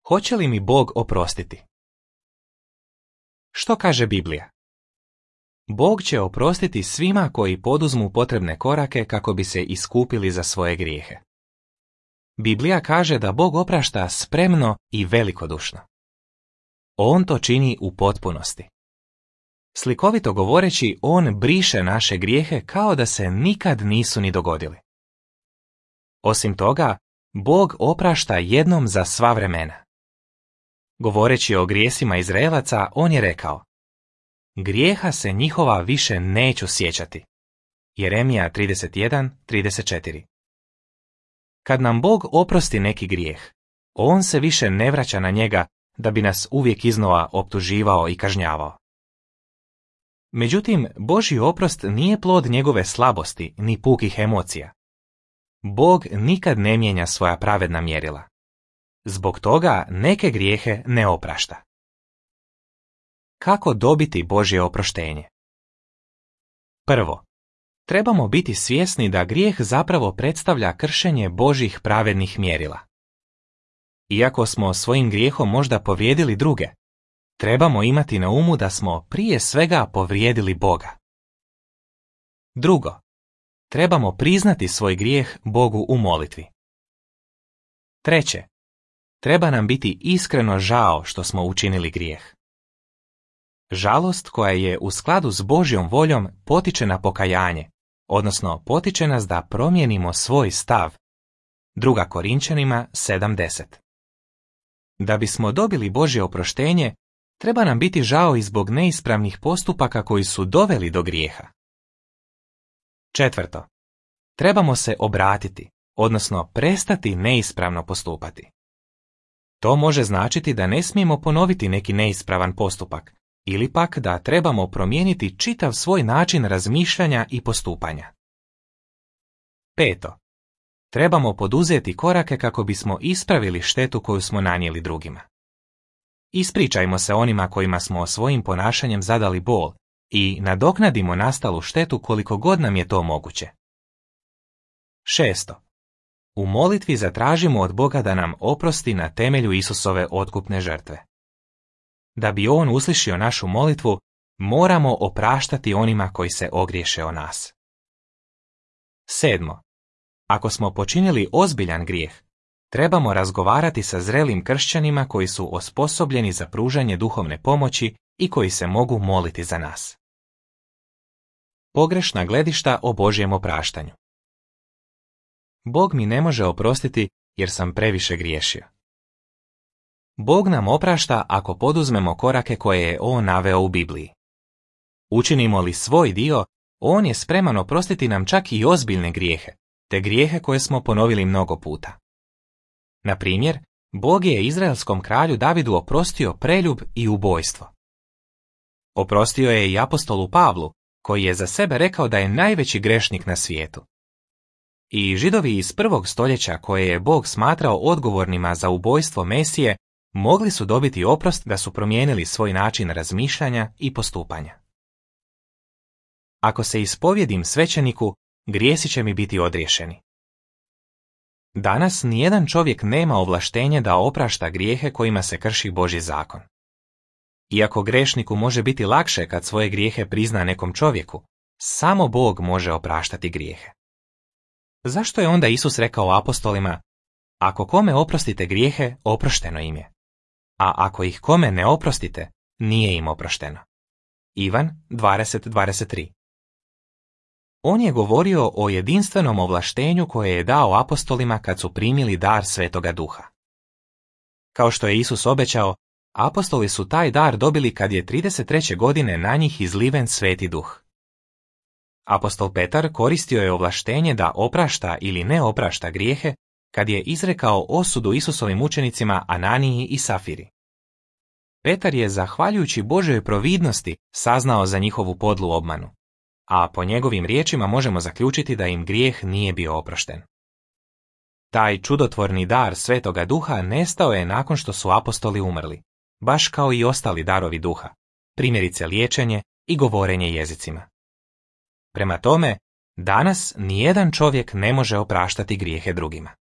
Hoće li mi Bog oprostiti? Što kaže Biblija? Bog će oprostiti svima koji poduzmu potrebne korake kako bi se iskupili za svoje grijehe. Biblija kaže da Bog oprašta spremno i velikodušno. On to čini u potpunosti. Slikovito govoreći, on briše naše grijehe kao da se nikad nisu ni dogodili. Osim toga, Bog oprašta jednom za sva vremena. Govoreći o grijesima Izraelaca, on je rekao: grijeha se njihova više neću sjećati. Jeremija 31:34. Kad nam Bog oprosti neki grijeh, on se više ne vraća na njega da bi nas uvijek iznova optuživao i kažnjavao. Međutim, Božji oprost nije plod njegove slabosti ni pukih emocija. Bog nikad ne mijenja svoja pravedna mjerila. Zbog toga neke grijehe ne oprašta. Kako dobiti Božje oproštenje? Prvo, trebamo biti svjesni da grijeh zapravo predstavlja kršenje Božjih pravednih mjerila. Iako smo svojim grijehom možda povrijedili druge, trebamo imati na umu da smo prije svega povrijedili Boga. Drugo, trebamo priznati svoj grijeh Bogu u molitvi. Treće, treba nam biti iskreno žao što smo učinili grijeh. Žalost koja je u skladu s Božjom voljom potiče na pokajanje, odnosno potiče nas da promijenimo svoj stav. 2. Korinčanima 7:10. Da bismo dobili Božje oproštenje, treba nam biti žao i zbog neispravnih postupaka koji su doveli do grijeha. Četvrto, trebamo se obratiti, odnosno prestati neispravno postupati. To može značiti da ne smijemo ponoviti neki neispravan postupak, ili pak da trebamo promijeniti čitav svoj način razmišljanja i postupanja. Peto, trebamo poduzeti korake kako bismo ispravili štetu koju smo nanijeli drugima. Ispričajmo se onima kojima smo svojim ponašanjem zadali bol i nadoknadimo nastalu štetu koliko god nam je to moguće. Šesto, u molitvi zatražimo od Boga da nam oprosti na temelju Isusove otkupne žrtve. Da bi on uslišio našu molitvu, moramo opraštati onima koji se ogriješe o nas. Sedmo, ako smo počinili ozbiljan grijeh, trebamo razgovarati sa zrelim kršćanima koji su osposobljeni za pružanje duhovne pomoći i koji se mogu moliti za nas. Pogrešna gledišta o Božjem opraštanju. Bog mi ne može oprostiti jer sam previše griješio. Bog nam oprašta ako poduzmemo korake koje je on naveo u Bibliji. Učinimo li svoj dio, on je spreman oprostiti nam čak i ozbiljne grijehe, te grijehe koje smo ponovili mnogo puta. Na primjer, Bog je izraelskom kralju Davidu oprostio preljub i ubojstvo. Oprostio je i apostolu Pavlu, koji je za sebe rekao da je najveći grešnik na svijetu. I Židovi iz 1. stoljeća koje je Bog smatrao odgovornima za ubojstvo Mesije, mogli su dobiti oprost da su promijenili svoj način razmišljanja i postupanja. Ako se ispovjedim svećeniku, grijesi će mi biti odriješeni. Danas nijedan čovjek nema ovlaštenje da oprašta grijehe kojima se krši Božji zakon. Iako grešniku može biti lakše kad svoje grijehe prizna nekom čovjeku, samo Bog može opraštati grijehe. Zašto je onda Isus rekao apostolima: ako kome oprostite grijehe, oprošteno im je, a ako ih kome ne oprostite, nije im oprošteno? Ivan 20:23. On je govorio o jedinstvenom ovlaštenju koje je dao apostolima kad su primili dar Svetoga Duha. Kao što je Isus obećao, apostoli su taj dar dobili kad je 33. godine na njih izliven Sveti Duh. Apostol Petar koristio je ovlaštenje da oprašta ili ne oprašta grijehe kad je izrekao osudu Isusovim učenicima Ananiji i Safiri. Petar je, zahvaljujući Božjoj providnosti, saznao za njihovu podlu obmanu, a po njegovim riječima možemo zaključiti da im grijeh nije bio oprošten. Taj čudotvorni dar Svetoga Duha nestao je nakon što su apostoli umrli, baš kao i ostali darovi duha, primjerice liječenje i govorenje jezicima. Prema tome, danas nijedan čovjek ne može opraštati grijehe drugima.